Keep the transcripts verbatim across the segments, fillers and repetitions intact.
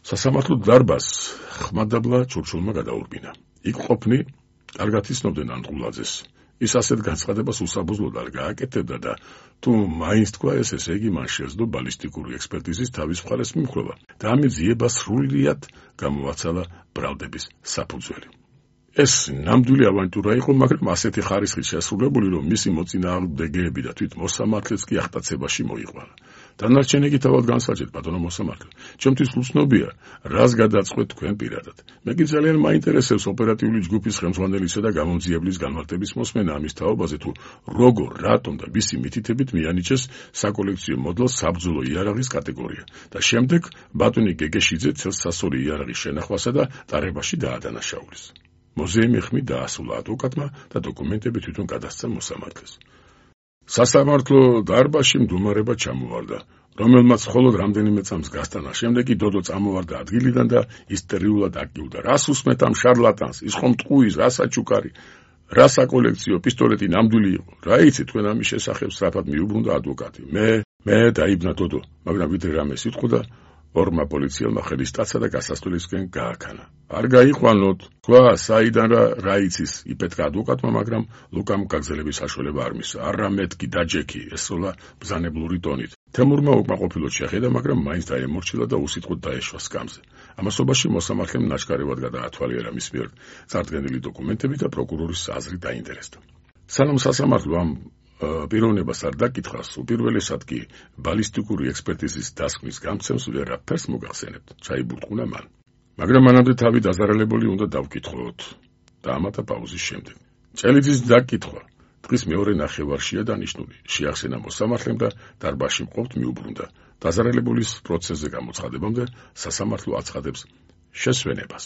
სასამართლო დარბაზს ხმადაბლა ჩურჩულმა გადაურბინა. იქ ყოფნი კარგად იცნობდნენ ანდღულაძეს. ის ასეთ განცხადებას უსაბუძლოდ არ გააკეთებდა და თუ მაინც თქვა ეს, ესე იგი მან შეძლო ბალისტიკური ექსპერტიზის თავის მხარეს მიმხრობა და ამის ძიება სრულიად გამოაცალა ბრალდების საფუძველი. ეს ნამდვილი ავანტურა იყო, მაგრამ ასეთი ხარისხით შესრულებული, რომ მისი მოწინააღმდეგეები და თვით მოსამართლეც კი ახტაცებაში მოიყვანა. დანარჩენები თავად განსაჯეთ, ბატონო მოსამართლე. ჩემთვის უცნობია, რას გადაწყვეტ თქვენ პირადად. მე კი ძალიან მაინტერესებს ოპერატიული ჯგუფის ხელმძღვანელისა და გამომძიებლის განმარტების მოსმენა ამის თაობაზე, თუ როგორ, რატომ და ვისი მითითებით მიანიჭეს საკოლექციო მოდელს საბრძოლო იარაღის კატეგორია და შემდეგ ბატონი გეგეშიძე ცელსასწორი იარაღის შენახვასა და ტარებაში დაადანაშაულის. მუზეუმი ხმით დაასრულა ადვოკატმა და დოკუმენტები თვითონ გადასცა მოსამართლეს. სასამართლო დარბაზში მდგომარეობა ჩამოვარდა, რომელმაც მხოლოდ რამდენიმე წამს გასტანა. შემდეგ კი დოდო წამოვარდა ადგილიდან და ისტერიულად აკიუდა. რას უსმეთ ამ შარლატანს? ის ხომ ტყუის, რა საჩუქარი, რა საკოლექციო პისტოლეტი ნამდვილი იყო. რა იცი თქვენ ამის შესახებ? სწრაფად მიუბრუნდა ადვოკატი. მე მე დაიბნა დოდო, მაგრამ ვიდრე რამე სიტყოდა, ორმა პოლიციელმა ხელის სტაცა და გასასვლელისკენ გააქანა. არ გაიყვანოთ, თქვა, საიდან რა რა იცის, იპეთქა ადვოკატმა, მაგრამ ლუკამ გაგზელების საშუალება არ მისცა. არა მეთქი, დაჯექი, ესროლა ბრძანებლური ტონით. თემურმა უკმაყოფილოდ შეხედა, მაგრამ მაინც დაემორჩილა და უსიტყვოდ დაეშვა სკამზე. ამასობაში მოსამართლემ ნაჩქარევად გადაათვალიერა მის მიერ წარდგენილი დოკუმენტები და პროკურორის აზრი დაინტერესდა. სანამ სასამართლო ამ პიროვნებას არ დაკითხავს, უპირველესად კი ბალისტიკური ექსპერტიზის დასკვნის გამცემს ვერაფერს მოგახსენებთ, ჩაიბურტყუნა მან. მაგრამ მანამდე თავი დაზარალებული უნდა დავკითხოთ და ამათა პაუზის შემდეგ. წელიწის დაკითხვა დღის მეორე ნახევარშია დანიშნული. შეახსენა მოსამართლემ და დარბაზში მყოფთ მიუბრუნდა. დაზარალებულის პროცესზე გამოცხადებამდე სასამართლო აცხადებს შესვენებას.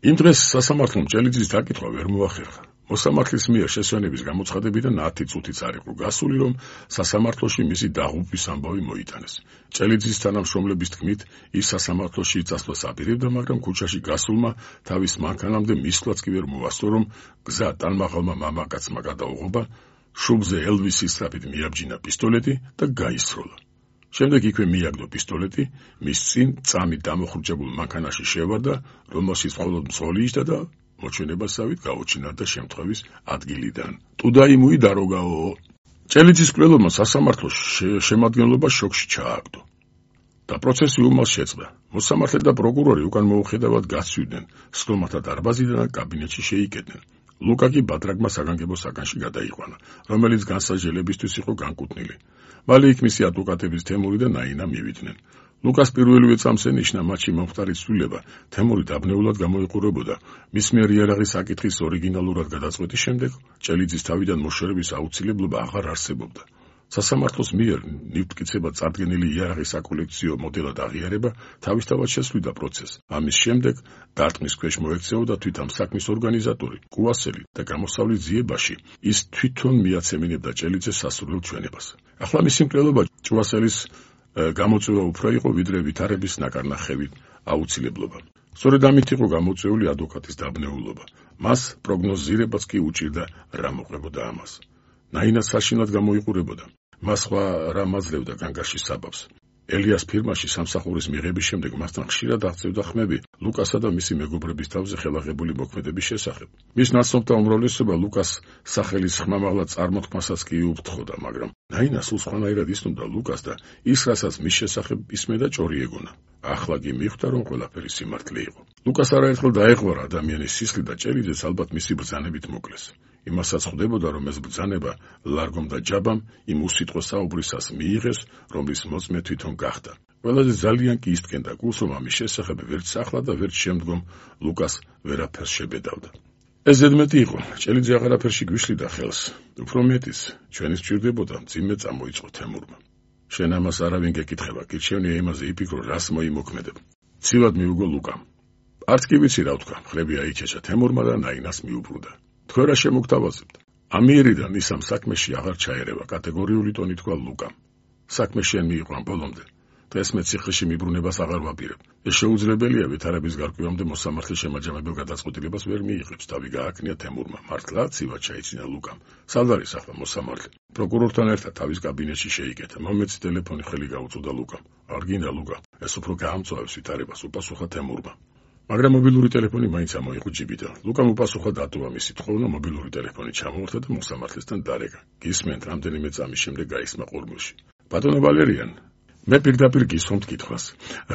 იმ დღეს სასამართლომ წელიწის დაკითხვა ვერ მოახერხა. მოსამართლის მიერ შესვენების გამოცხადებიდან ათი წუთიც არ იყო გასული, რომ სასამართლოში მისი დაღუპვის ამბავი მოიტანეს. წელიწის თანამშრომლების თქმით, ის სასამართლოში წასვლას აპირებდა, მაგრამ ქუჩაში გასულმა თავის მანქანამდე მისვლაც კი ვერ მოასწრო, რომ გზა ტანმაღალმა მამაკაცმა გადაუღობა, შუბლზე ელვისის სწრაფით მიაბჯინა პისტოლეტი და გაისროლა. შემდეგ იქვე მიაგდო პისტოლეტი, მის წინ წამით დამოხრჯებულ მანქანაში შევარდა, რომელშიც მხოლოდ მძღოლი იჯდა და მოჩვენებასავით გაუჩინარდა შემთხვევის ადგილიდან. ტუდაი მუიდაროგაო. წელიწის კვლელობმა სასამართლოს შემადგენლობა შოკში ჩააგდო და პროცესი უმალს შეწყდა. მოსამართლე და პროკურორი უკან მოუხედავად გასცვიდნენ, სხდომათა დარბაზიდან და კაბინეტში შეიკეტნენ. ლუკა კი ბადრაგმა საგანგებო საგანში გადაიყვანა, რომელიც განსაჯელებისთვის იყო განკუთვნილი. მალე იქ მისი ადვოკატების თემური და ნაინა მივიდნენ. ლუკას პირველივე წამს ენიშნა მათში მომხდარი ცვლილება, თემური დაბნეულად გამოიყურებოდა. მის მიერ იარაღის საკითხის ორიგინალურად გადაწყვეტის შემდეგ წელიწის თავიდან მოშორების აუცილებლობა აღარ არსებობდა. სასამართლოს მიერ ნივთკიცებად წარდგენილი იარაღის საკოლექციო მოდელად აღიარება თავისთავად შესვლიდა პროცესს. ამის შემდეგ დარტყმის ქვეშ მოექცეოდა თვით ამ საქმის ორგანიზატორი, კუასელი და გამოსავლის ძიებაში ის თვითონ მიაცემინებდა წელიწეს სასურველ ჩვენებას. ახლა მისი მკვლელობა ჭუასელის გამოწვევა უფრო იყო, ვიდრე ვითარების ნაკარნახევი აუცილებლობა. სწორედ ამით იყო გამოწვეული ადვოკატის დაბნეულობა. მას პროგნოზირებაც კი უჭირდა რა მოყვებოდა ამას. ნაინას საშინლად გამოიყურებოდა. მას სხვა რა მაძლევდა განგაშის საბაბს. ელიას ფირმაში სამსახურის მიღების შემდეგ მასთან ხშირად აღწევდა ხმები ლუკასა და მისი მეგობრების თავზე ხელაღებული მოქმედების შესახებ. მის ნაცნობთა უმრავლესობა ლუკას სახელის ხმამაღლა წარმოთქმასაც კი უფრთხოდა, მაგრამ ნაინა სულ სხვანაირად იცნობდა ლუკას და ის, რასაც მის შესახებ ისმედა, ჭორი ეგონა. ახლა კი მიხვდა, რომ ყველაფერი სიმართლე იყო. ლუკას არაერთხელ დაეღვარა ადამიანის სისხლი და ჭელიძეც ალბათ მისი ბრძანებით მოკლეს. იმასაც ხვდებოდა, რომ ეს ბრძანება ლარგომ და ჯაბამ იმ უსიტყვო საუბრისას მიიღეს, რომლის მოწმე თვითონ გახდა. ყველაზე ძალიან კი ისტკენდა გულს, რომ ამის შესახებ ვერც ახლა და ვერც შემდგომ ლუკას ვერაფერს შებედავდა. ეს ზედმეტი იყო, ჭელიძე აღარაფერში გვიშლიდა ხელს. უფრო მეტის, ჩვენი სჭირდებოდა მძიმე წამოიწყო თემურმა. შენ ამას არავინ გეკითხება, გირჩევნია იმაზე იფიქრო, რას მოიმოქმედებ. ცივად მიუგო ლუკამ. არც კი ვიცი რა ვთქვა, ხლები აიჩეჩა თემურმა და ნაინას მიუბრუნდა. თქვენ რა შემოგთავაზებთ? ამიერიდან ისამ საქმეში აღარ ჩაერევა, კატეგორიული ტონით თქვა ლუკამ. საქმე შენ მიიყვან ბოლომდე. დღეს მე ციხეში მიბრუნებას აღარ ვაპირებ. ეს შეუძლებელია ვითარების გარკვევამდე მოსამართლე შემაჯამებელ გადაწყვეტილებას ვერ მიიღებს. თავი გააკნია თემურმა. მართლა ცივად ჩაიცინა ლუკამ. სად არის ახლა მოსამართლე? პროკურორთან ერთად თავის კაბინეტში შეიკეთა. მომეცი ტელეფონი ხელი გაუწოდა ლუკამ. არ გინდა ლუკა, ეს უფრო გაამწვავებს ვითარებას, უპასუხა თემურმა. მაგრამ მობილური ტელეფონი მაინც ამოიღო ჯიბიდან. ლუკამ უპასუხა დატოვა მისი თხოვნა, მობილური ტელეფონი ჩამოართვა და მოსამართლესთან დარეკა. გისმენთ, რამდენიმე წამის შემდეგ გაისმა ყურმილში. ბატონო ვალერიან, მე პირდაპირ გისვამთ კითხვას.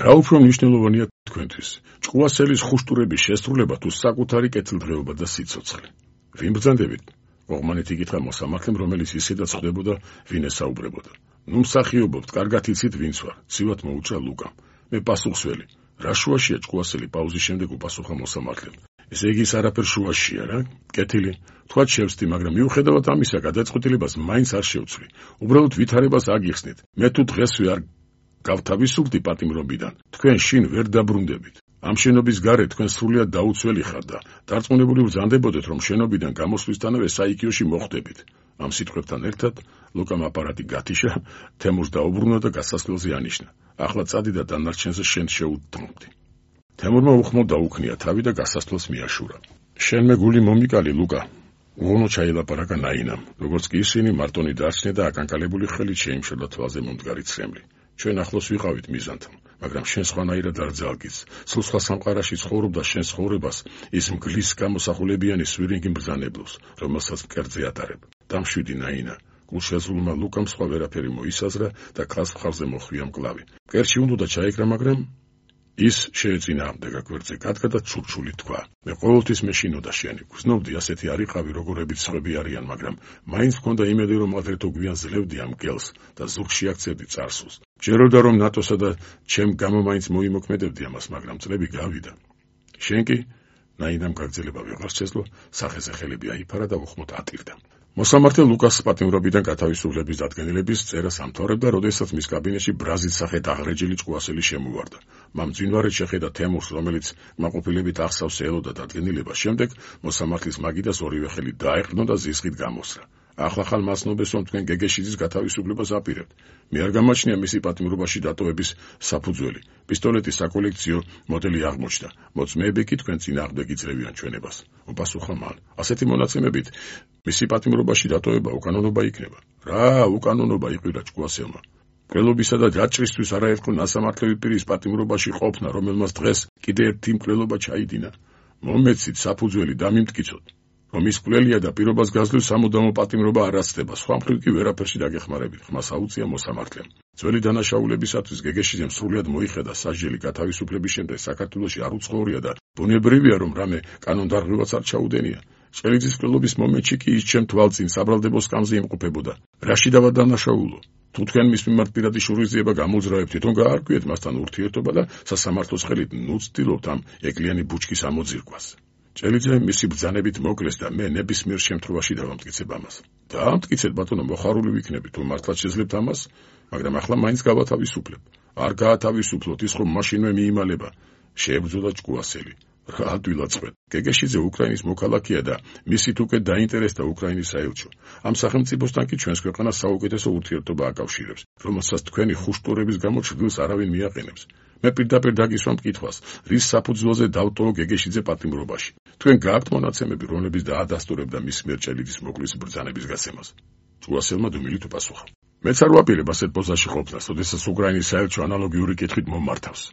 რა უფრო მნიშვნელოვანია თქვენთვის? ჭკუასელის ხუშტურების შესრულება თუ საკუთარი კეთილდღეობა და სიცოცხლე? ვინ ბრძანდებით? ოღმანეთ იკითხა მოსამართლემ, რომელიც ისედაც ხვდებოდა, ვინ ესაუბრებოდა. ნუ მსახიობობთ, კარგად იცით ვინც ვარ, ცივად მოუჭრა ლუკამ. მე პასუხსველი. რა შუაშია ჭკუასელი პაუზის შემდეგ უპასუხა მოსამართლემ. ესე იგი ის არაფერ შუაშია რა? კეთილი. თქვათ შევსდი, მაგრამ მიუხედავად ამისა, გადაწყვეტილებას მაინც არ შევცვლი. უბრალოდ ვითარებას აგიხსნით. მე თუ დღესვე არ გავთავისუფლდი პატიმრობიდან, თქვენ შინ ვერ დაბრუნდებით. ამ შენობის გარეთ თქვენ სრულიად დაუცველი ხართ და დარწმუნებული ვზანდებოდეთ, რომ შენობიდან გამოსვლისთანავე საიქიოში მოხვდებით. ამ სიტყვებთან ერთად ლუკამ აპარატი გათიშა, თემურს დაუბრუნა და გასასვლელზე ანიშნა. ახლა წადი და დანარჩენზე შენ შეუდმობდი. თემურმა უხმოდ დაუქნია თავი და გასასვლელს მიაშურა. შენმე გული მომიკალი ლუკა. უღონო ჩაილაპარაკა ნაინამ, როგორც კი ისინი მარტონი დარჩნენ და აკანკალებული ხელით შეიმშრლა თვალზე მომდგარი ცრემლი. ჩვენ ახლოს ვიყავით მიზანთან, მაგრამ შენ სხვანაირად არ ძალგიც. სულ სხვა სამყაროში ცხოვრობდა შენ ცხოვრებას ის მგლის გამოსახულებიანი სვირინგი მბრძანებლობს, რომელსაც მკერდზე ატარებ. დამშვიდი ნაინა. გულშეზღლულმა ლუკამ სხვა ვერაფერი მოისაზრა და ქალს მხარზე მოხვია მკლავი. მკერდში უნდა ჩაეკრა, მაგრამ ის შეეწინააღმდეგა გვერდზე გადგა და ჩურჩული თქვა. მე ყოველთვის მეშინოდა შენი. გრძნობდი ასეთი არ იყავი, როგორებიც სხვები არიან, მაგრამ მაინც მქონდა იმედი, რომ ადრეთო გვიან ძლევდი ამ გელს და ზურგში აქცევდი წარსულს. ჯეროდა რომ ნატოსა და ჩემ გამო მაინც მოიმოქმედებდი ამას, მაგრამ წლები გავიდა. შენ კი ნაინამ გაგრძელება ვეღარ შეძლო, სახეზე ხელები აიფარა და უხმოდ ატირდა. მოსამართლე ლუკას პატიმრობიდან გათავისუფლების დადგენილების წერას ამთავრებდა, როდესაც მის კაბინეტში ბრაზის სახით აღრეჯილი ჭკუასელი შემოვარდა. მამ ძინვარით შეხედა თემურს, რომელიც მაყოფილებით ახსავს ელოდა დადგენილებას. შემდეგ მოსამართლის მაგიდას ორივე ხელი დაეყრდნო და ზიზღით გამოსრა. ახლახან მასნობის, რომ თქვენ გეგეშიძის გათავისუფლებას აპირებთ. მე არ გამაჩნია მისი პატიმრობაში დატოვების საფუძველი. პისტოლეტის საკოლექციო მოდელი აღმოჩნდა. მოწმეები კი თქვენ წინააღმდეგ იძლევიან ჩვენებას. უპასუხა მან. ასეთი მონაცემებით მისი პატიმრობაში დატოვება უკანონობა იქნება. რა უკანონობა იყირა ჭკუასელმა? მკვლელობისა და ჯაჭრისთვის არაერთხელ ნასამართლელი პირის პატიმრობაში ყოფნა, რომელმაც დღეს კიდე ერთი მკვლელობა ჩაიდინა. მომეცით საფუძველი დამიმტკიცოთ. რომ ის მკვლელია და პირობას გაძლევს სამუდამო პატიმრობა არ ასწდება, სხვა მხრივ კი ვერაფერში დაგეხმარებით, ხმას აუწია მოსამართლემ. ძველი დანაშაულებისათვის გეგეშიძემ სრულად მოიხედა სასჯელი გათავისუფლების შემდეგ საქართველოში არ უცხოვრია და ბუნებრივია, რომ რამე კანონდარღვევაც არ ჩაუდენია. ჭელიძის მკვლელობის მომენტში კი ის ჩემ თვალწინ საბრალდებო სკამზე იმყოფებოდა. რაში დავა დანაშაულო? თუ თქვენ მის მიმართ პირადი შურისძიება გამოძრავებთ, თვითონ გაარკვიეთ მასთან ურთიერთობა და სასამართლოს ხელით ნუ ცდილობთ ამ ეკლიანი ბუჩქის ამოძირკვას. ჭელიძე მისი ბრძანებით მოკლეს და მე ნებისმიერ შემთხვევაში დავამტკიცებ ამას. დაამტკიცეთ ბატონო, მოხარული ვიქნები, თუ მართლაც შეძლებთ ამას, მაგრამ ახლა მაინც გავათავისუფლებ. არ გაათავისუფლოთ, ის ხომ მაშინვე მიიმალება. შეებრძოლა ჭკუასელი. რა დვილაწყეთ. გეგეშიძე უკრაინის მოქალაქეა და მისით უკვე დაინტერესდა უკრაინის საელჩო. ამ სახელმწიფოსთან კი ჩვენს ქვეყანას საუკეთესო ურთიერთობა აკავშირებს, რომელსაც თქვენი ხუშტურების გამო ჩრდილს არავინ მიაყენებს. მე პირდაპირ დაგისვამ კითხვას, რის საფუძველზე დავტოვო გეგეშიძე პატიმრობაში. თქვენ გააქვთ მონაცემები, რომლებიც დაადასტურებდა მის მიერ ჭელიძის მოკვლის ბრძანების გასცემას? ჭკუასელმა დუმილით უპასუხა. მეც არ ვაპირებ ასეთ პოზაში ყოფნას, როდესაც უკრაინის საელჩო ანალოგიური კითხვით მომმართავს.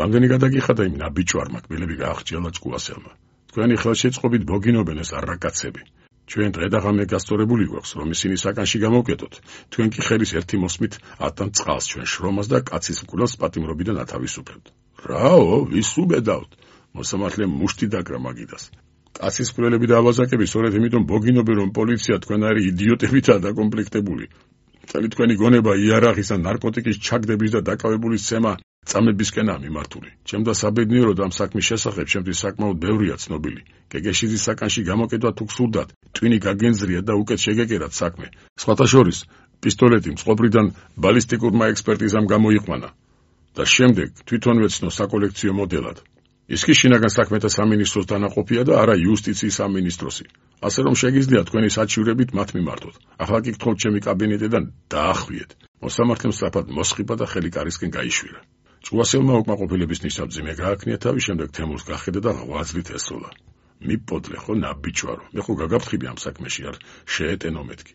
რამდენი გადაგიხადა იმ ნაბიჯვარმა კბილები გაახჭიალა ჭკუასელმა. თქვენი ხელშეწყობით ბოგინობენ ეს არაკაცები. ჩვენ დღე და ღამე გასწორებული გვაქვს, რომ ისინი საკანში გამოვკეტოთ. თქვენ კი ხელის ერთი მოსმით ატან წყალს ჩვენ შრომას და კაცის მკვლელს პატიმრობიდან ათავისუფლებთ. რაო, ვის უბედავთ? მოსამართლემ მუშტი დაკრა მაგიდას. კაცის მკვლელები და ავაზაკები სწორედ იმიტომ ბოგინობენ, რომ პოლიცია თქვენარი იდიოტებითაა დაკომპლექტებული. მთელი თქვენი გონება იარაღის და ნარკოტიკის ჩაგდების და დაკავებული სცემა წამებისკენაა მიმართული. ჩემდა საბედნიერო და ამ საქმის შესახებ ჩემთვის საკმაოდ ბევრია ცნობილი. გეგეშიძის საკანში გამოკეტვა თუ გსურდათ, ტვინი გაგენზრიათ და უკეთ შეგეკერათ საქმე. სხვათა შორის, პისტოლეტი მწყობრიდან ბალისტიკურმა ექსპერტიზამ გამოიყვანა და შემდეგ თვითონ ვეცნო საკოლექციო მოდელად. ის კი შინაგან საქმეთა სამინისტროს დანაყოფია და არა იუსტიციის სამინისტროსი. ასე რომ შეგიძლია თქვენი საჩივრებით მათ მიმართოთ. ახლა კი გთხოვთ ჩემი კაბინეტიდან დაახვიეთ. მოსამართლემ სწრაფად მოსხიბა და ხელი კარისკენ გაიშვირა. ჭკუასელმა უკმაყოფილების ნიშნად მძიმე გააქნია თავი, შემდეგ თემურს გახედა და ღვაწლით ესროლა. მიპოდლე ხო ნაბიჯვარო, მე ხო გაგაფრთხილი ამ საქმეში არ შეეტენო მეთქი.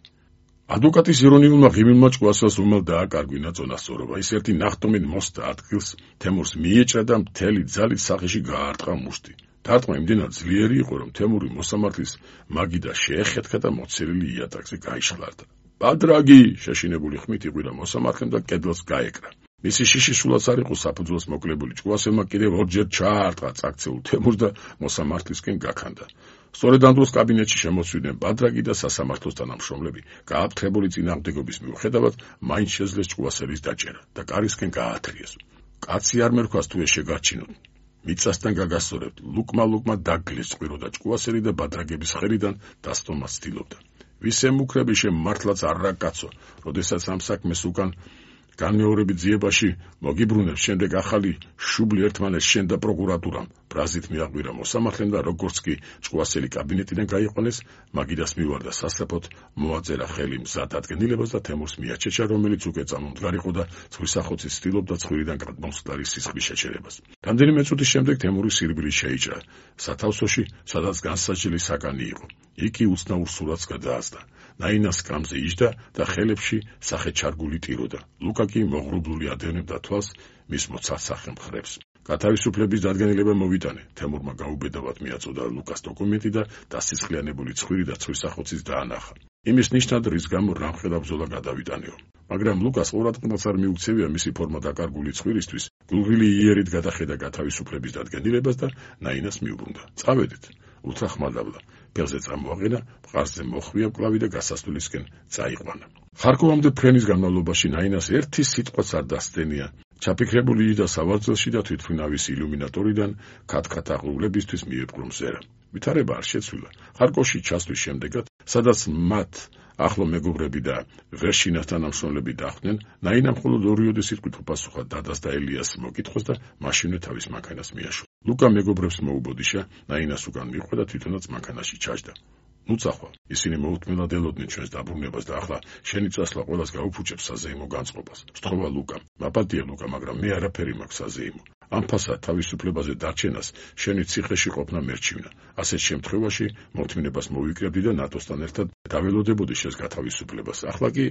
ადვოკატის ირონიულმა ღიმილმა ჭკუასელს უმელ დააკარგვინა წონასწორობა. ის ერთი ნახტომით მოსდა ადგილს, თემურს მიიეჭრა და მთელი ძალით სახეში გაარტყა მუშტი. დარტყმა იმდენად ძლიერი იყო, რომ თემური მოსამართლის მაგიდა შეეხეთქა და მოცილილი იატაკზე გაიშხლარდა. ბადრაგი შეშინებული ხმით იყვირა მოსამართლემ და კედელს გაეკრა. მისი შიში სულაც არ იყო საფუძველს მოკლებული. ჭკუასელმა კიდევ ორჯერ ჩაარტყა წაქცეულ თემურს და მოსამართლისკენ გაქანდა. სწორედ ამ დროს კაბინეტში შემოსვიდნენ ბადრაგი და სასამართლოს თანამშრომლები. გააფრთხებული წინააღმდეგობის მიუხედავად, მაინც შეძლეს ჭკუასელის დაჭერა და კარისკენ გაათრიეს. კაცი არ მერქვას თუ ეს შეგარჩინოთ. მიწასთან გაგასწორებთ. ლუკმა ლუკმა დაგლეს წყირო და ჭკუასელი და ბადრაგების ხელიდან დასტომას ცდილობდა. ვის ემუქრები შემართლაც არ რა კაცო, როდესაც ამ საქმეს უკან განმეორებით ძიებაში მოგიბრუნებს, შემდეგ ახალი შუბლი ერთმანეთს შენდა პროკურატურამ. ბრაზით მიაღვირა მოსამართლემ და როგორც კი ჭკუასელი კაბინეტიდან გაიყვანეს, მაგიდას მივარდა სასწრაფოდ, მოაწერა ხელი მზად ადგენილებას და თემურს მიაჩეჩა, რომელიც უკვე წამომდგარ იყო და ცხვირსახოცის ცდილობდა ცხვირიდან გადმოსტარის სისხლის შეჩერებას. რამდენიმე წუთის შემდეგ თემური სირბილი შეიჭრა სათავსოში, სადაც განსაჯელი საკანი იყო. იქი უცნაურ სურათს გადაასდა. ნაინას კამზე იჯდა და ხელებში სახე ჩარგული ტიროდა. ლუკა კი მოღრუბლული ადევნებდა თვალს მის მოცართ სახე მხრებს. გათავისუფლების დადგენილება მოვიტანე. თემურმა გაუბედავად მიაწოდა ლუკას დოკუმენტი და დასისხლიანებული ცხვირი და ცხვირსახოცის დაანახა. იმის ნიშნად, რის გამო რამხელა ბრძოლა გადავიტანეო. მაგრამ ლუკას ყურადღებას არ მიუქცევია მისი ფორმა დაკარგული ცხვირისთვის. გულგრილი იერით გადახედა გათავისუფლების დადგენილებას და ნაინას მიუბრუნდა. წავედით, უთხრა ხმადაბლა. ფეხზე წამოაყენა, მყარზე მოხვია კლავი და გასასვლელისკენ წაიყვანა. ხარკოვამდე ფრენის განმავლობაში ნაინას ერთი სიტყვაც არ დასდენია. ჩაფიქრებული იდა სავარძელში და თვითმფრინავის ილუმინატორიდან ქათქათ აღრულებისთვის მიეპყრო მზერა. ვითარება არ შეცვლილა. ხარკოვში ჩასვლის შემდეგაც, სადაც მათ ახლო მეგობრები და ვერშინას თანამშრომლები დახვდნენ, ნაინამ მხოლოდ ორიოდე სიტყვით უპასუხა დადას და ელიას მოკითხვას და მაშინვე თავის მანქანას მიაშურა. ლუკა მეგობრებს მოუბოდიშა, ნაინას უკან მიჰყვა და თვითონაც მანქანაში ჩაჯდა. ნუ წახვალ, ისინი მოუთმენლად ელოდნენ ჩვენს დაბრუნებას და ახლა შენი წასვლა ყველას გაუფუჭებს საზეიმო განწყობას. სთხოვა ლუკა, მაპატია ლუკა, მაგრამ მე არაფერი მაქვს საზეიმო. ამ ფასად თავისუფლებაზე დარჩენას შენი ციხეში ყოფნა მერჩივნა. ასეთ შემთხვევაში მოთმინებას მოვიკრებდი და ნატოსთან ერთად დაველოდებოდი შენს გათავისუფლებას. ახლა კი,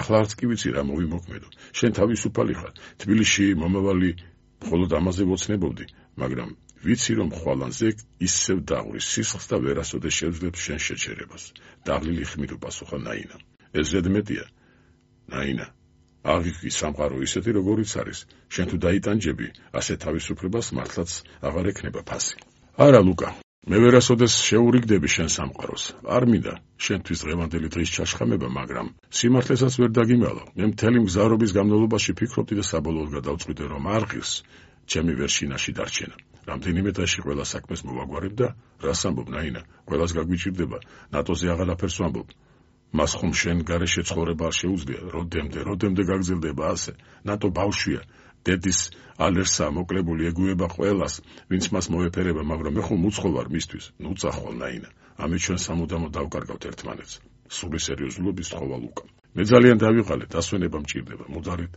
ახლა არც კი ვიცი რა მოვიმოქმედო. შენ თავისუფალი ხარ, თბილისში მომავალი მხოლოდ ამაზე ვოცნებობდი, მაგრამ ვიცი რომ ხვალანზე ისევ დაღურის სისხლს და ვერასოდეს შევძლებს შენ შეჩერებას. დაღლილი ხმით უპასუხა ნაინა. ეს ზედმეტია, ნაინა. აღიქვი სამყარო ისეთი როგორიც არის, შენ თუ დაიტანჯები, ასე თავისუფლებას მართლაც აღარ ექნება ფასი. არა ლუკა, მე ვერასოდეს შეურიგდები შენ სამყაროს. არ მინდა შენთვის დღევანდელი დღის ჩაშხამება, მაგრამ სიმართლესაც ვერ დაგიმალავ. მე მთელი მგზავრობის განმავლობაში ფიქრობდი და საბოლოოდ გადავწყვიტე, რომ არ ღირს ჩემი ვერშინაში დარჩენა. რამდენიმე დღეში ყველა საქმეს მოვაგვარებ და რას ამბობ ნაინა, ყველას გაგვიჭირდება, ნატოზე აღარაფერს ვამბობ. მას ხომ შენ გარეშე ცხოვრება არ შეუძლია, როდემდე, როდემდე გაგრძელდება ასე. ნატო ბავშვია, დედის ალერსა მოკლებული ეგუება ყველას, ვინც მას მოეფერება, მაგრამ მე ხომ უცხო ვარ მისთვის. ნუ წახვალ ნაინა, ამით ჩვენ სამუდამოდ დავკარგავთ ერთმანეთს. სული სერიოზულობის სთხოვა ლუკა. მე ძალიან დავიღალე, დასვენება მჭირდება, მუდარით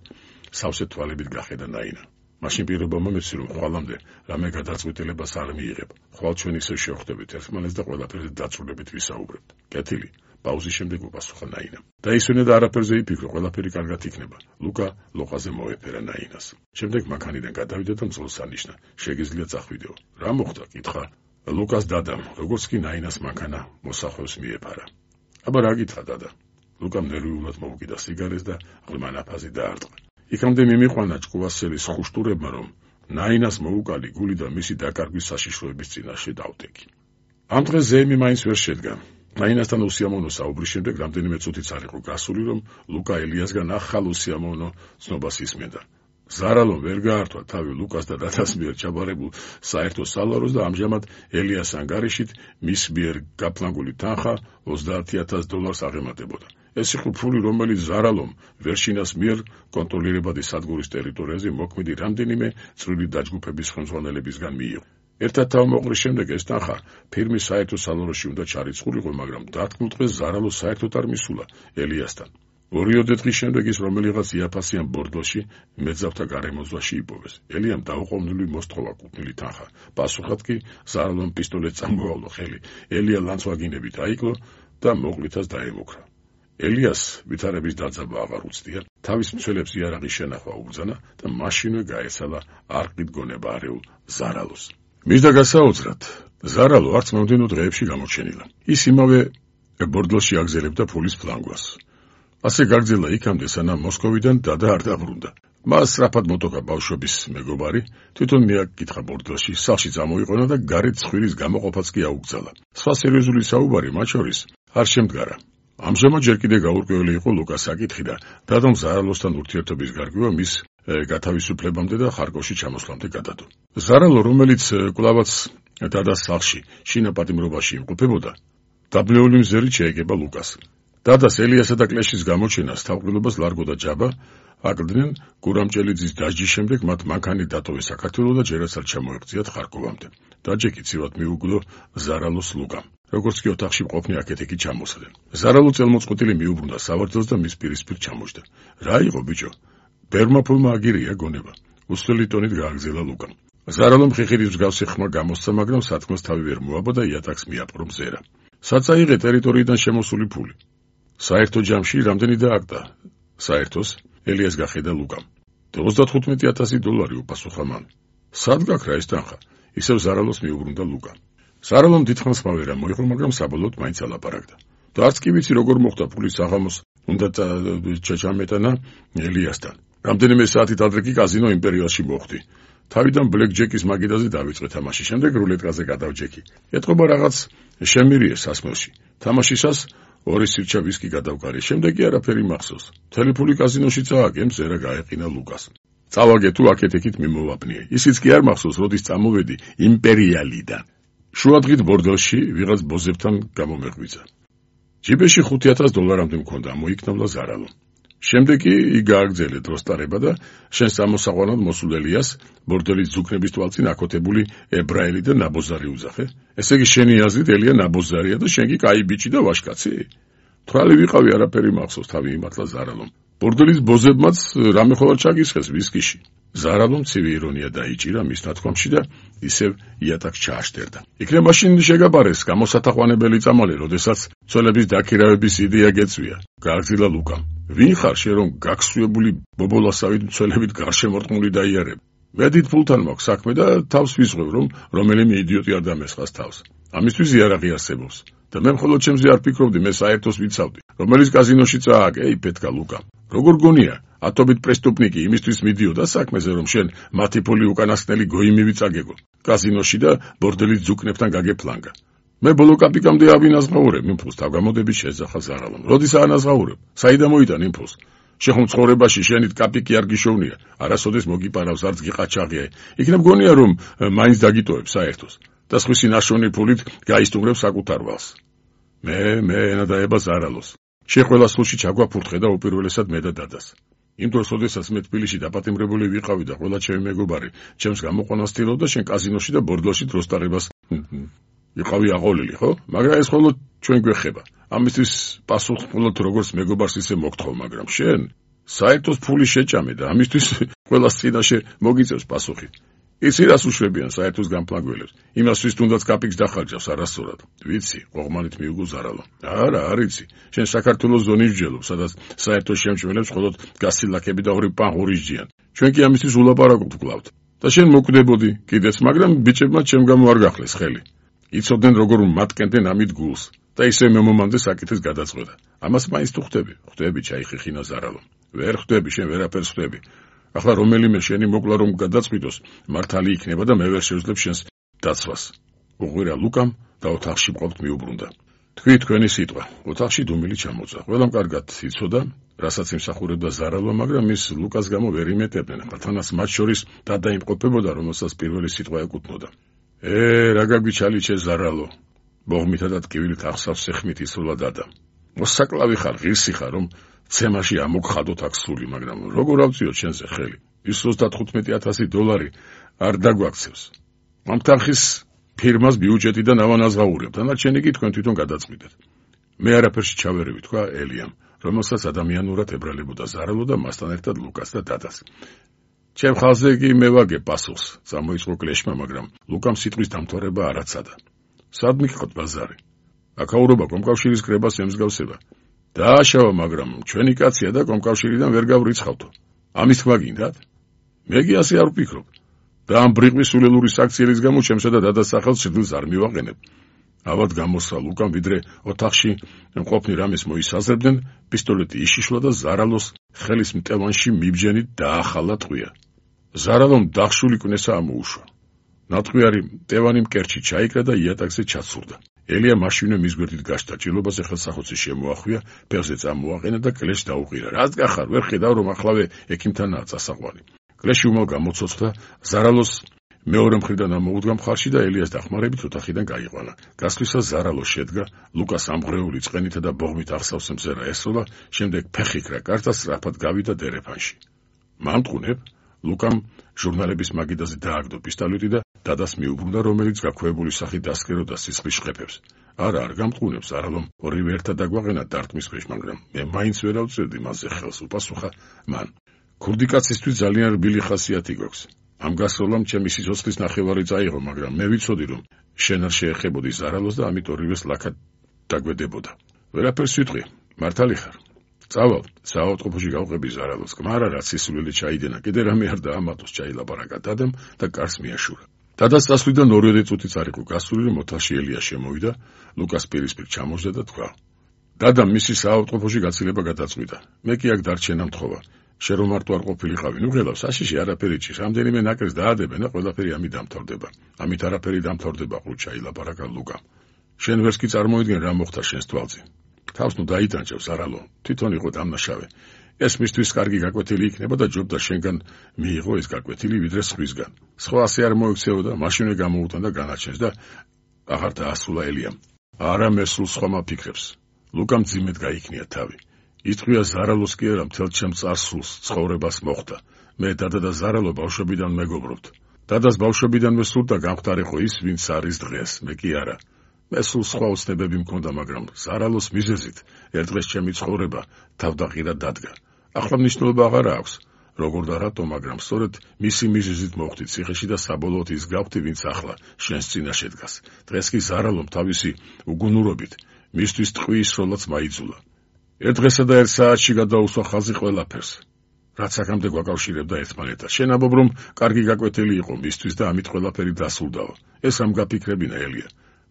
სავსე თვალებით გახედა ნაინა. მაშინ პირობა მომეცი, რომ ხვალამდე რამე გადაწყვეტილებას არ მიიღებ. ხვალ ჩვენ ისევ შევხვდებით ერთმანეთს და ყველაფერზე დაწვრილებით ვისაუბრებთ. კეთილი, პაუზის შემდეგ უპასუხა ნაინა. დაისვენა და არაფერზე იფიქრო, ყველაფერი კარგად იქნება. ლუკა ლოყაზე მოეფერა ნაინას. შემდეგ მანქანიდან გადავიდა და მძღოლს ანიშნა. შეგიძლია წახვიდეო. რა მოხდა? კითხა ლუკას დადამ, როგორც კი ნაინას მანქანა მოსახვევს მიეფარა. აბა რა გითხრა დადა? ლუკამ ნერვიულად მოუკიდა სიგარეს და ღრმა ნაფაზი დაარტყა. იქამდე მიმიყვანა ჭკუასელის ხუშტურებმა, რომ ნაინას მოუკალი გული და მისი დაკარგვის საშიშროების წინაშე დავტეკი. ამ დღეს ზეიმი მაინც ვერ შედგა. ნაინასთან უსიამოვნო საუბრის შემდეგ რამდენიმე წუთიც არ იყო გასული, რომ ლუკა ელიასგან ახალ უსიამოვნო ცნობას ისმენდა. ზარალომ ვერ გაართვა თავი ლუკას და დადას მიერ ჩაბარებულ საერთო სალაროს და ამჟამად ელიას ანგარიშით მის მიერ გაფლანგული თანხა ოცდაათი ათას დოლარს აღემატებოდა. ეს იყო ფული, რომელიც ზარალომ ვერშინას მიერ კონტროლირებადი სადგურის ტერიტორიაზე მოქმედი რამდენიმე წვრილი დაჯგუფების ხელმძღვანელებისგან მიიღო. ერთად თავმოყრის შემდეგ ეს თანხა ფირმის საერთო სალაროში უნდა ჩარიცხულიყო, მაგრამ დათქმულ დღეს ზარალო საერთოდ არ მისულა ელიასთან. ორიოდე დღის შემდეგ ის რომელიღაც იაფასიან ბორდოში მეძავთა გარემოძვაში იპოვეს. ელიამ დაუყოვნელი მოსთხოვა კუთვნილი თანხა. პასუხად კი ზარალომ პისტოლეტს წამოავლო ხელი. ელია ლანცვაგინებით აიკლო და მოყვითას დაემუქრა. ელიას ვითარების დაძაბა აღარ უცდია, თავის მცველებს იარაღის შენახვა უბრძანა და მაშინვე გაეცალა არყით გონება არეულ ზარალოს. მისდა გასაოცრად, ზარალო არც მომდენო დღეებში გამოჩენილა. ის იმავე ბორდლოში აგზელებდა ფულის ფლანგვას. ასე გაგრძელა იქამდე, სანამ მოსკოვიდან დადა არ დაბრუნდა. მას სწრაფად მოტოქა ბავშვობის მეგობარი, თვითონ მიაკითხა ბორდლოში, სახლში წამოიყონა და გარეთ ცხვირის გამოყოფაც კი აუგზალა. სხვა სერიოზული საუბარი მათ შორის არ შემდგარა. ამჟამად ჯერ კიდე გაურკვეველი იყო ლუკას საკითხი და დადამ ზარალოსთან ურთიერთობის გარკვევა მის გათავისუფლებამდე და ხარკოვში ჩამოსვლამდე გადადო. ზარალო, რომელიც კვლავაც დადას სახლში შინაპატიმრობაში იმყოფებოდა, დაბნეული მზერით შეეგება ლუკას. დადას ელიასა და კლეშის გამოჩენას თავყრილობას ლარგო და ჯაბა აკლდნენ გურამჭელიძის დასჯის შემდეგ მათ მანქანით დატოვეს საქართველო და ჯერაცად ჩამოეღწიათ ხარკოვამდე. დაჯექი ცივად მიუგდო ზარალოს ლუკამ. როგორც კი ოთახში მყოფნი აქეთ-იქით ჩამოსდნენ. ზარალო წელმოწყვეტილი მიუბრუნდა სავარძელს და მის პირისპირ ჩამოჯდა. რა იყო ბიჭო? ბერმა ფულმა აგირია გონება. უსწრელი ტონით გააგზელა ლუკამ. ზარალომ ხიხილის მსგავსი ხმა გამოსცა, მაგრამ სათქმას თავი ვერ მოაბა და იატაკს მიაპყრო მზერა. საწაიღე ტერიტორიიდან შემოსული ფული. საერთო ჯამში რამდენი დააგდა? საერთოს ელიას გახედა ლუკამ. ოცდათხუთმეტი ათასი დოლარი უპასუხა მან. სად გაქრა ეს თანხა? ისევ ზარალოს მიუბრუნდა ლუკა. ზარალომ დიდხანს მავერა მოიღო, მაგრამ საბოლოოდ მაინც ალაპარაკდა. და არც კი ვიცი როგორ მოხდა ფულის საღამოს უნდა ჩაჩამეტანა ელიასთან. რამდენიმე საათით ადრე კი კაზინო იმპერიალში მოხვდი. თავიდან ბლეკ ჯეკის მაგიდაზე დავიწყე თამაში, შემდეგ რულეტკაზე გადავჯექი. ეთყობა რაღაც შემირიეს სასმელში. თამაშისას ორი სირჩა ვისკი გადავკარი, შემდეგ კი არაფერი მახსოვს. მთელი ფული კაზინოში წააგე, მზერა გაეყინა ლუკას. წავაგე თუ აქეთ-იქით მიმოვაბნიე. ისიც კი არ მახსოვს, როდის წამოვედი იმპერიალიდან. შუადღით ბორდელში ვიღაც ბოზებთან გამომეღვიძა. ჯიბეში ხუთი ათას დოლარამდე მქონდა, მოიქნებლა ზარალო. შემდეგ კი იქ გააგრძელე დროს ტარება და შენ სამოსაყვანოდ მოსულ ელიას ბორდელის ძუქნების თვალწინ აკოთებული ებრაელი და ნაბოზარი უძახე. ესე იგი შენი აზრით ელია ნაბოზარია და შენ კი კაი ბიჭი და ვაშკაცი? თვრალი ვიყავი, არაფერი მახსოვს, თავი იმართლა ზარალომ. ბორდელის ბოზებმაც რამე ხოლმე ჩაგისხეს ვისკიში. ზარალომ ცივი ირონია დაიჭირა მის ნათქვამში და ისევ იატაკს ჩააშტერდა. იქნებ მაშინ შეგაბარეს გამოსათაყვანებელი წამალი, როდესაც ცოლების დაქირავების იდეა გეწვია. გააგრძელა ლუკამ. ვინ ხარ შენ, რომ გაგსვიებული ბობოლასავით მცველებით გარშემორტყმული დაიარებ? ვედით ფულთან მაქვს საქმე და თავს ვისღვევ, რომ რომელიმე იდიოტი არ დამესხას თავს. ამისთვის იარაღი არსებობს. და მე მხოლოდ ჩემზე არ ფიქრობდი, მე საერთოს ვიცავდი, რომელიც კაზინოში წააგე, ეი პეტკა ლუკამ. როგორ გონია? ათობით პრესტუპნიკი იმისთვის მიდიოდა საქმეზე, რომ შენ მათი ფული უკანასკნელი გოიმივი წაგეგო. კაზინოში და ბორდელის ძუქნებთან გაგეფლანგა. მე ბოლო კაპიკამდე ავინაზღაურებ იმფულს, თავგამოდებით შეძახა ზარალომ. როდის აანაზღაურებ? საიდან მოიტან იმფულს? შეხომ ცხოვრებაში შენით კაპიკი არ გიშოვნია, არასოდეს მოგიპარავს, არც გიყაჩაღია. იქნებ გონია, რომ მაინც დაგიტოვებ საერთოს და სხვისი ნაშოვნი ფულით გაისტუმრებ საკუთარ ვალს. მე მე ენა დაება ზარალოს. შეხველა სულში ჩაგვაფურთხე და უპირველესად მე და დადას. იმ დროს, როდესაც მე თბილისში დაპატიმრებული ვიყავი და ყველა ჩემი მეგობარი ჩემს გამოყვანას ცდილობდა, შენ კაზინოში და ბორდლოში დროს ტარებას ვიყავი აყოლილი, ხო? მაგრამ ეს ხოლმე ჩვენ გვეხება. ამისთვის პასუხს მხოლოდ როგორც მეგობარს ისე მოგთხოვ, მაგრამ შენ საერთოდ ფული შეჭამე და ამისთვის ყველას წინაშე მოგიწევს პასუხი. იცი რას უშვებიან საერთოს გამფლანგველებს? იმასთვის თუნდაც კაპიკს დახარჯავს არასწორად. ვიცი, ყოღმანით მიუგო ზარალო. არა, არ იცი. შენ საქართველოს ზონის ჯელობ, სადაც საერთო შემჭმელებს მხოლოდ გასილაკები და ორი პანღური ჯიან. ჩვენ კი ამისთვის ულაპარაკობთ კლავთ. და შენ მოკვდებოდი კიდეც, მაგრამ ბიჭებმა ჩემ გამო არ გახლეს ხელი. იცოდნენ როგორ მატკენდნენ ამით გულს და ისე მემომამდე საკითხის გადაწყვეტა. ამას მაინც თუ ხვდები, ხვდები ჩაიხიხინა ზარალო. ვერ ხვდები, შენ ვერაფერს ხვდები. ახლა რომელიმე შენი მოკლა რომ გადაწყვიტოს, მართალი იქნება და მე ვერ შევძლებ შენს დაცვას. უღვირა ლუკამ და ოთახში მყოფთ მიუბრუნდა. თქვი თქვენი სიტყვა. ოთახში დუმილი ჩამოწვა. ყველამ კარგად იცოდა, რასაც იმსახურებდა ზარალო, მაგრამ ის ლუკას გამო ვერ იმეტებდნენ. თანაც მათ შორის დადაიმყოფებოდა, რომელსაც პირველი სიტყვა ეკუთვნოდა. ე რა გაგვიჩალიჩე ზარალო. ბოღმითა და ტკივილით ახსავს სეხმით ისროლა დადა. მოსაკლავი ხარ, ღირსი ხარ, რომ ცემაში ამოგხადოთ აქ სული, მაგრამ როგორ ავწიოთ შენზე ხელი? ის ოცდათხუთმეტი ათასი დოლარი არ დაგვაქცევს. ამ თანხის ფირმას ბიუჯეტიდან ავანაზღაურებ, დანარჩენი კი თქვენ თვითონ გადაწყვიტეთ. მე არაფერში ჩავერევი, თქვა ელიამ, რომელსაც ადამიანურად ებრალებოდა ზარალო და მასთან ერთად ლუკას და დადას. ჩემ ხალხზე კი მე ვაგე პასუხს, წამოიწყო კლეშმა, მაგრამ ლუკამ სიტყვის დამთავრება არ აცადა. სად მიგყავთ ბაზარი? აკაურობა კომკავშირის კრებას ემსგავსება. დააშავა, მაგრამ ჩვენი კაცია და კომკავშირიდან ვერ გავრიცხავთო. ამის თქმა გინდათ? მე კი ასე არ ვფიქრობ. და ამ ბრიყვის სულელური საქციელის გამო ჩემსა და დადას სახელს სიძულს არ მივაყენებ. ავად გამოსცა ლუკამ, ვიდრე ოთახში მყოფნი რამეს მოისაზრებდნენ, პისტოლეტი იშიშლა და ზარალოს ხელის მტევანში მიბჯენით დაახალა ტყვია. ზარალომ დახშული კვნესა ამოუშვა. ნატყვიარი მტევანი მკერჩი ჩაიკრა და იატაკზე ჩაცურდა. ელია მაშინვე მის გვერდით გაშთა, ჭილობაზე ხელსახოცი შემოახვია, ფეხზე წამოაყენა და კლეშს დაუყირა. რას გახარ, ვერ ხედავ რომ ახლავე ექიმთანაა წასაყვანი. კლეში უმალ გამოცოცხლა, ზარალოს მეორე მხრიდან ამოუდგა მხარში და ელიას დახმარებით ოთახიდან გაიყვანა. გასვლისას ზარალო შედგა, ლუკას ამღრეული წყენითა და ბოღმით ახსავს მზერა ესროლა, შემდეგ ფეხიქრა კარტა სწრაფად გავიდა დერეფანში. მამტყუნებ, ლუკამ ჟურნალების მაგიდაზე დააგდო პისტოლეტი და დადას მიუბრუნდა, რომელიც გაქვეებული სახით დასკეროდა სისხლის შხეფებს. არა, არ გამტყუნებს, ზარალომ ორივე ერთად დაგვაყენა დარტყმის ქვეშ, მაგრამ მე მაინც ვერ ავწერდი მასზე ხელს, უპასუხა მან. ქურდი კაცისთვის ძალიან რბილი ხასიათი გვაქვს. ამ გასროლამ ჩემი სიცოცხლის ნახევარი წაიღო, მაგრამ მე ვიცოდი, რომ შენ არ შეეხებოდი ზარალოს და ამით ორივეს ლაქად დაგვედებოდა. ვერაფერს ვიტყვი, მართალი ხარ. წავალ, საავადმყოფოში გავყები ზარალოს. კმარა რაც სისულელი ჩაიდენა, კიდე რამე არ დაამატოს, ჩაილაპარაკა დადამ და კარს მიაშურა. დადას წასვლიდან ორივე წუთიც არ იყო გასული, რომ ოთახში ელია შემოვიდა, ლუკას პირისპირ ჩამოჯდა და თქვა: დადამ მისი საავადმყოფოში გაცილება გადაწყვიტა. მე კი აქ დარჩენა მთხოვა. შენ რომ მარტო არ ყოფილიყავი, ნუ ღელავს, საშიში არაფერი ჭირს, რამდენიმე ნაკრებს დაადებენ და ყველაფერი ამით დამთავრდება. ამით არაფერი დამთავრდება, ყრუჩა ილაპარაკა ლუკამ. შენ ვერს კი წარმოიდგენ რა მოხდა შენს თვალზე. თავს ნუ დაიტანჯებს, არალო, თვითონ იყო დამნაშავე. ეს მისთვის კარგი გაკვეთილი იქნება და ჯობდა შენგან მიიღო ეს გაკვეთილი ვიდრე სხვისგან. სხვა ასე არ მოიქცეოდა, მაშინვე გამოუტან და განაჩენს და აღარ დაასრულა ელიამ. არა მე სულ სხვა მაფიქრებს. ლუკამ ძიმედ გაიქნია თავი. იტყვია ზარალოს კი არა, მთელ ჩემ წარსულს ცხოვრებას მოხდა. მე დადა და ზარალო ბავშვობიდან მეგობრობთ. დადას ბავშვობიდანვე სურდა გამختارიყო ის, ვინც არის დღეს, მე კი არა. მე სულ სხვა უცნებები მქონდა, მაგრამ ზარალოს მიზეზით ერთ დღეს ჩემი ცხოვრება თავდაყირად დადგა. ახლა მნიშვნელობა აღარ აქვს, როგორ და რატო, მაგრამ სწორედ მისი მიზეზით მოხვდი ციხეში და საბოლოოდ ის გავხდი, ვინც ახლა შენს წინაშე დგას. დღეს კი ზარალომ თავისი უგუნურობით მისთვის ტყვის სროლაც მაიძულა. ერთ დღესა და ერთ საათში გადაუსვა ხაზი ყველაფერს, რაც აქამდე გვაკავშირებდა ერთმანეთთან. შენ ამბობ, რომ კარგი გაკვეთილი იყო მისთვის და ამით ყველაფერი დასრულდაო. ეს ამ გაფიქრებინა, ელია.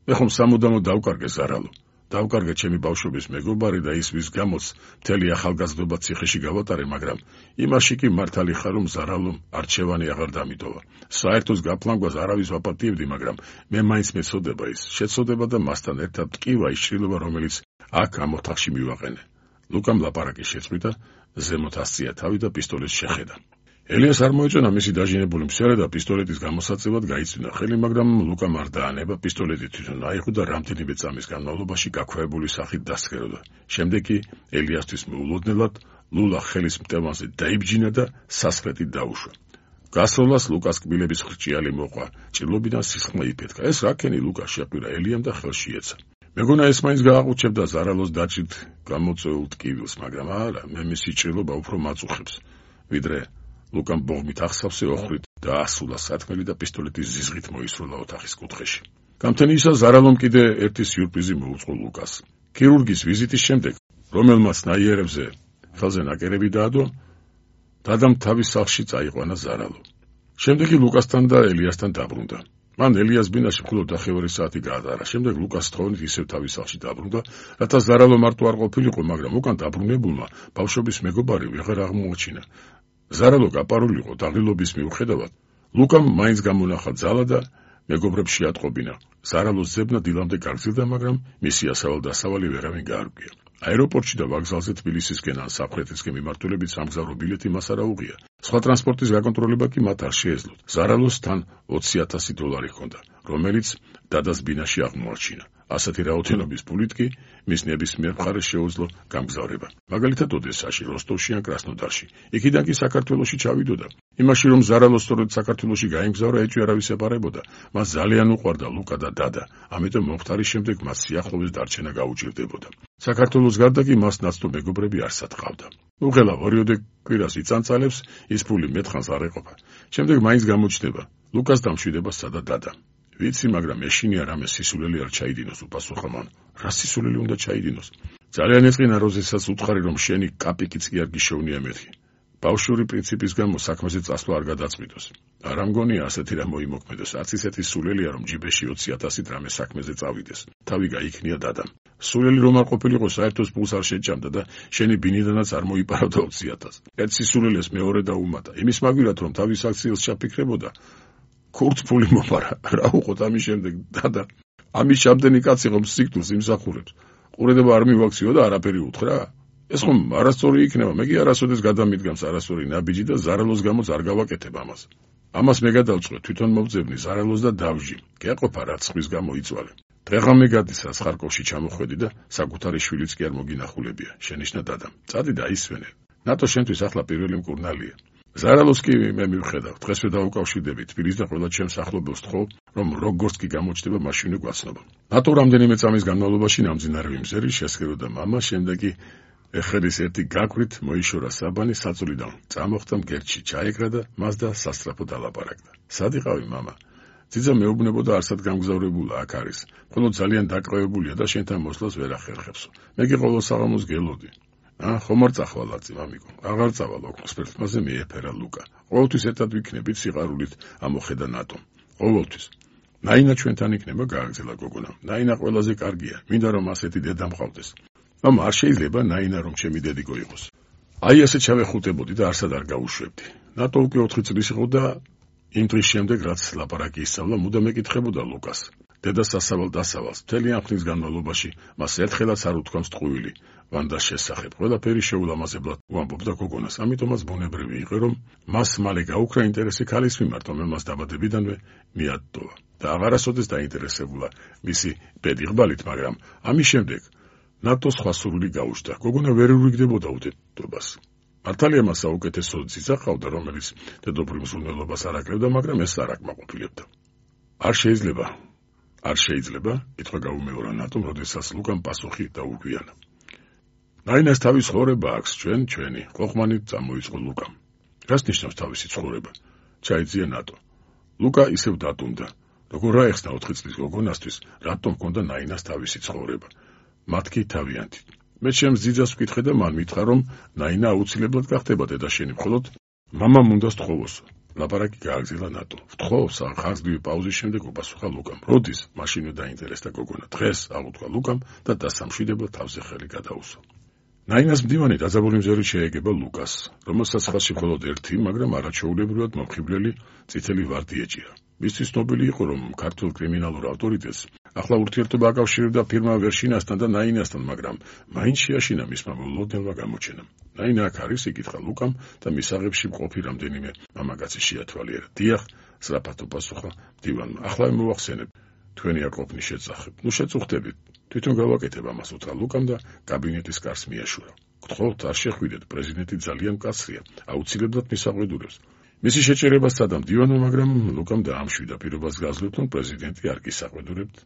მე ხომ სამუდამოდ დავკარგე ზარალო. დავკარგე ჩემი ბავშვობის მეგობარი და ის, ვის გამოც მთელი ახალგაზრდობა ციხეში გავატარე, მაგრამ იმაში კი მართალი ხარ, რომ ზარალომ არჩევანი აღარ დამიტოვა. საერთოს გაფლანგვას არავის ვაპატიებდი, მაგრამ მე მაინც მეცოდება ის. შეცოდება და მასთან ერთად ტკივა ის შრილობა, რომელიც აქ ამ ოთახში მივაყენე. ლუკამ ლაპარაკი შეწყვიტა, ზემოთ ასწია თავი და პისტოლეტს შეხედა. ელიას არ მოეწონა მისი დაჟინებული მსერე და პისტოლეტის გამოსაწევად გაიწვინა ხელი, მაგრამ ლუკამ არ დაანება, პისტოლეტი თვითონ აიღო და რამდენიმე წამის განმავლობაში გაქვეებული სახით დასხეროდა. შემდეგ კი ელიასთვის მოულოდნელად ლულა ხელის მტევანზე დაიბჯინა და სასხლეტით დაუშვა. გასროლას ლუკას კბილების ხრჭიალი მოყვა, ჭრილობიდან სისხლმა იფეთქა. ეს რაკენი ლუკას შეყვირა ელიამ და ხელში ეცა. მეგონა ეს მაინც გააყუჩებდა ზარალოს დაჭით გამოწვეულ ტკივილს, მაგრამ არა, მე მისი ჭრილობა უფრო მაწუხებს, ვიდრე ლუკამ ბოღმით ახსავსე ოხრით დაასულა სათქმელი და პისტოლეტის ზიზღით მოისროლა ოთახის კუთხეში. გამთენიისა ზარალომ კიდე ერთი სიურპრიზი მოუწყო ლუკას. ქირურგის ვიზიტის შემდეგ, რომელმაც ნაიერებზე ხელზე ნაკერები დაადო, დადამ თავის სახლში წაიყვანა ზარალო. შემდეგ კი ლუკასთან და ელიასთან დაბრუნდა. მან ელიას ბინაში მხოლოდ ნახევარი საათი გაატარა. შემდეგ ლუკას თხოვნით ისევ თავის სახლში დაბრუნდა, რათა ზარალო მარტო არ ყოფილიყო, მაგრამ უკან დაბრუნებულმა ბავშვობის მეგობარი ვეღარ აღმოაჩინა. ზარალო გაპარულიყო დაღილობის მიუხედავად, ლუკამ მაინც გამონახა ძალა და მეგობრებს შეატყობინა. ზარალოს ძებნა დილამდე გაგრძელდა, მაგრამ მისი ასავალ-დასავალი ვერავინ გაარკვია. აეროპორტში და ვокზალზე თბილისისკენ ან საფრანგეთისკენ მიმართულებით სამგზავრო ბილეთი მას არ აუღია. სხვა ტრანსპორტის გაკონტროლება კი მათ არ შეეძლოთ. ზარალოს თან ოცი ათასი დოლარი ჰქონდა, რომელიც დადას ბინაში აღმოაჩინა. ასეთი რაოდენობის ფულით კი მის ნებისმიერ მხარეს შეუძლო გამგზავრება. მაგალითად ოდესაში, როსტოვში ან კრასნოდარში. იქიდან კი საქართველოში ჩავიდოდა. იმაში რომ ზარალო სწორედ საქართველოში გაემგზავრა, ეჭვი არავის ეპარებოდა. მას ძალიან უყვარდა ლუკა და დადა, ამიტომ მომხდარის შემდეგ მას სიახლოვეს დარჩენა გაუჭირდებოდა. საქართველოს გარდა კი მას ნაცნობ მეგობრები არსად ყავდა. უღელავ ორიოდე კვირას იწანწალებს, ის ფული მეტხანს არ ეყოფა. შემდეგ მაინც გამოჩნდება, ლუკას დამშვიდება სადა დადა. ვიცი, მაგრამ ეშინია რამე სისულელი არ ჩაიდინოს, უპასუხა მან. რა სისულელი უნდა ჩაიდინოს? ძალიან ეწყინა როზესაც უთხარი, რომ შენი კაპიკიც კი არ გიშოვნია მეთქი. ბავშვური პრინციპის გამო საქმეზე წასვლა არ გადაწყვიტოს. არ ამგონია ასეთი რამ მოიმოქმედოს, არც ისეთი სულელია, რომ ჯიბეში ოცი ათასით რამე საქმეზე წავიდეს. თავი გაიქნია დადამ. სულელი რომ არ ყოფილიყო, საერთოდ ფულს არ შეჭამდა და შენი ბინიდანაც არ მოიპარავდა ოცი ათასს. ერთ სისულელეს მეორე დაუმატა. იმის მაგვილად, რომ თავის აქციელს ჩაფიქრებოდა, ქურთ ფული მოპარა. რა უყოთ ამის შემდეგ, დადა. ამის შემდენი კაცი ხომ სიკვდილს იმსახურებს. ყურედება არ მივაქციო და არაფერი უთხრა. ეს ხომ არასწორი იქნება, მე კი არასოდეს გადამიდგამს არასწორი ნაბიჯი და ზარალოს გამოც არ გავაკეთებ ამას. ამას მე გადავწყვე, თვითონ მოვძებნი ზარალოს და დავჟი. გეყოფა რაც ხვის გამო იწვალე. დღეღამე გადის რაც ხარკოვში ჩამოხვედი და საკუთარი შვილიც კი არ მოგინახულებია. შენიშნა დადამ. წადი და ისვენე. ნატო შენთვის ახლა პირველი მკურნალია. ზარალოს კი მე მივხედავ, დღესვე დავუკავშირდები თბილისს და ყველა ჩემს ახლობელს თხოვ, რომ როგორც კი გამოჩნდება მაშინვე გვაცნობა. ნატო რამდენიმე წამის განმავლობაში ნამძინარევი მზერი შესქეროდა მამა, შემდეგ კი ეხერის ერთი გაკვით მოიშორა საბანი საწოლიდან. წამოხდა მგერჩი, ჩაეკრა და მას და სასწრაფო დალაპარაკდა. სად იყავი მამა? ძიძა მეუბნებოდა არსად გამგზავრებულა აქ არის. ხოლო ძალიან დაკავებულია და შენთან მოსვლას ვერ ახერხებსო. მე კი ყოველ საღამოს გელოდი. ა, ხომ არ წახვალაწი, მამიკო. აღარ წავალ ოქროს ფერფლაზე მიეფერა ლუკა. ყოველთვის ერთად ვიქნებით სიყვარულით ამოხედა ნატომ. ყოველთვის. ნაინა ჩვენთან იქნება, გააგრძელა გოგონა. ნაინა ყველაზე კარგია. მინდა რომ ასეთი დედა მყავდეს. ამ არ შეიძლება ნაინა რომ ჩემი დედიკო იყოს. აი ასე ჩავეხუტებოდი და არსად არ გავუშვებდი. ნატო უკვე ოთხი წლის იყო და იმ დღის შემდეგ რაც ლაპარაკი ისწავლა, მუდამ ეკითხებოდა ლუკას. დედა სასავალ დასავალს, მთელი ამ ხნის განმავლობაში მას ერთხელაც არ უთქვამს ტყუილი. ვანდას შესახებ ყველაფერი შეულამაზებლად უამბობდა გოგონას, ამიტომაც ბუნებრივი იყო, რომ მას მალე გაუქრა ინტერესი ქალის მიმართ, რომ მას დაბადებიდანვე მიატოვა. და აღარასოდეს დაინტერესებულა მისი ბედიღბალით, მაგრამ ამის შემდეგ ნატო სხვა სურვილი გაუჩნდა. გოგონა ვერ ურიგდებოდა უდიდობას. მართალია მას საუკეთესო ძიძა ყავდა, რომელიც დედოფლ მსურველობას არ აკლებდა, მაგრამ ეს არ აკმაყოფილებდა. არ შეიძლება, არ შეიძლება, კითხვა გაუმეორა ნატომ, როდესაც ლუკამ პასუხი დაუგვიანა. ნაინას თავის ცხოვრება აქვს, ჩვენ, ჩვენი, ყოყმანით წამოიწყო ლუკამ. რას ნიშნავს თავისი ცხოვრება? ჩაიძია ნატო. ლუკა ისევ დატუნდა. როგორ რა ეხსნა ოთხი წლის გოგონასთვის, რატომ ჰქონდა ნაინას თავისი ცხოვრება? მათ კი თავიანთი. მე ჩემს ძიძას ვკითხე და მან მითხრა, რომ ნაინა აუცილებლად გახდება დედაშენი, მხოლოდ მამამ უნდა სთხოვოსო. ლაპარაკი გააგრძელა ნატო. ვთხოვს, ხარჯლივი პაუზის შემდეგ უპასუხა ლუკამ. როდის? მაშინვე დაინტერესდა გოგონა. დღეს, აღუთქვა ლუკამ და დასამშვიდებლად თავზე ხელი გადაუსვა. ნაინას მდივანი დაძაბული მზერი შეეგება ლუკას, რომელსაც ხალხში მხოლოდ ერთი, მაგრამ არაჩვეულებრივად მომხიბვლელი წითელი ვარდი ეჭირა. მისთვის ცნობილი იყო, რომ ქართულ კრიმინალურ ავტორიტეტს ახლა ურთიერთობა აკავშირებდა ფირმა ვერშინასთან და ნაინასთან, მაგრამ მაინც შეაშინა მისმა მოლოდნელმა გამოჩენამ. ნაინა აქ არის, იკითხა ლუკამ და მისაღებში მყოფი რამდენიმე მამაკაცი შეათვალიერა. დიახ, სწრაფად უპასუხა მდივანმა. ახლა მოვახსენებ, თქვენი არ ყოფნის შეწახებ. ნუ შეწუხდებით. თვითონ გავაკეთებ ამას, უთხრა ლუკამ და კაბინეტის კარს მიაშურა. გთხოვთ, არ შეხვიდეთ, პრეზიდენტი ძალიან მკაცრია, აუცილებლად მისაღვედურებს. მისი შეჭერება სადამ დივანმა, მაგრამ ლუკამ დაამშვიდა პირობას გაზრდით, რომ პრეზიდენტი არ გისაღვედურებთ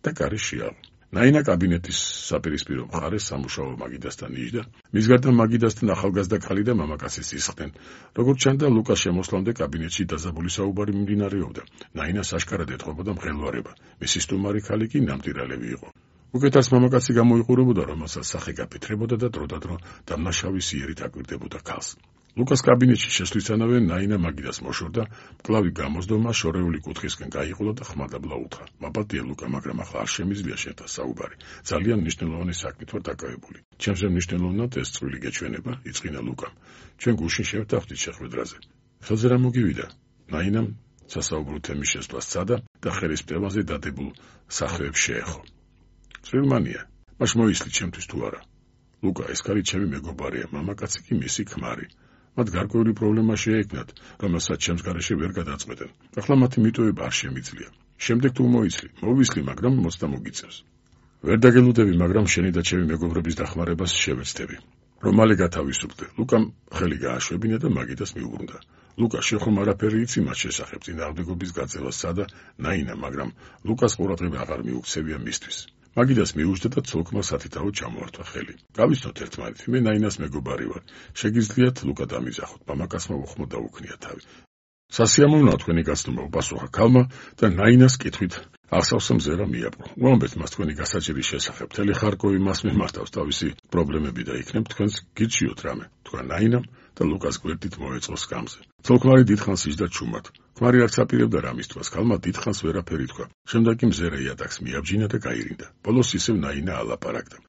და კარი შეაღო. ნაინა კაბინეტის საპირისპირო მხარეს სამუშაო მაგიდასთან იჯდა. მის გარდა მაგიდასთან ახალგაზრდა ქალი და მამაკაციც ისხდნენ. როგორც ჩანდა, ლუკას შემოსვლამდე კაბინეტში დაძაბული საუბარი მიმდინარეობდა. ნაინას აშკარად ეთხოვოდა მღელვარება. მისი სტუმარი ქალი კი ნამდვილად იყო. უკეთას მამაკაცი გამოიყურებოდა, რომელსაც სახე გაფეთრებოდა და დროდადრო დამნაშავის იერით აკვირდებოდა ქალს. ლუკას კაბინეტში შესვლისთანავე ნაინა მაგიდას მოშორდა, მკლავი გამოსდომა შორეული კუთხისკენ გაიყოლა და ხმადაბლა უთხრა. მაპატია ლუკა, მაგრამ ახლა არ შემიძლია შენთან საუბარი. ძალიან მნიშვნელოვანი საქმით ვარ დაკავებული. ჩემზე მნიშვნელოვნად ეს წვლილი გეჩვენება, იწყინა ლუკამ. ჩვენ გუშინ შევთანხმდით შეხვედრაზე. ხელზე რა მოგივიდა? ნაინამ სასაუბრო თემის შესვლა სცადა და ხელის პტევაზე დადებულ სახეებს შეეხო. წვრილმანია, მაშ მოისლი ჩემთვის თუ არა. ლუკა, ეს ქალი ჩემი მეგობარია, მამაკაცი კი მისი ქმარი. მათ გარკვეული პრობლემა შეექმნათ, რომელსაც ჩემს გარეშე ვერ გადაწყვეტენ. ახლა მათი მიტოვება არ შემიძლია. შემდეგ თუ მოისლი, მოვისლი, მაგრამ მოცდა მოგიწევს. ვერ დაგელუდები, მაგრამ შენი და ჩემი მეგობრების დახმარებას შევეცდები. რომ მალე გათავისუფლდე. ლუკამ ხელი გააშვებინა და მაგიდას მიუბრუნდა. ლუკა, შენ ხომ არაფერი იცი მათ შესახებ წინააღმდეგობის გაწევასა და ნაინა, მაგრამ ლუკას ყურადღება აღარ მიუქცევია მისთვის. მაგიდას მიუჯდა და ცოლკმა სათითაოდ ჩამოართვა ხელი. გავიცნოთ ერთმანეთი, მე ნაინას მეგობარი ვარ. შეგიძლიათ ლუკა დამიზახოთ, მამაკაცმა უხმო დაუქნია თავი. სასიამოვნოა თქვენი გაცნობა, უპასუხა ქალმა და ნაინას კითხვით აღსავსე მზერა მიაპყრო. უამბეთ მას თქვენი გასაჭირის შესახებ. მთელი ხარკოვი მას მიმართავს თავისი პრობლემები და იქნებ თქვენს გირჩიოთ რამე, თქვა ნაინამ და ლუკას გვერდით მოეწყო სკამზე. ცოლ-ქმარი დიდხანს იჯდა ჩუმად. ქმარი არც აპირებდა რამის თვას, ქალმა დიდხანს ვერაფერი თქვა. შემდეგ კი მზერა იატაკს მიაბჯინა და გაირინდა. ბოლოს ისევ ნაინა ალაპარაკდა.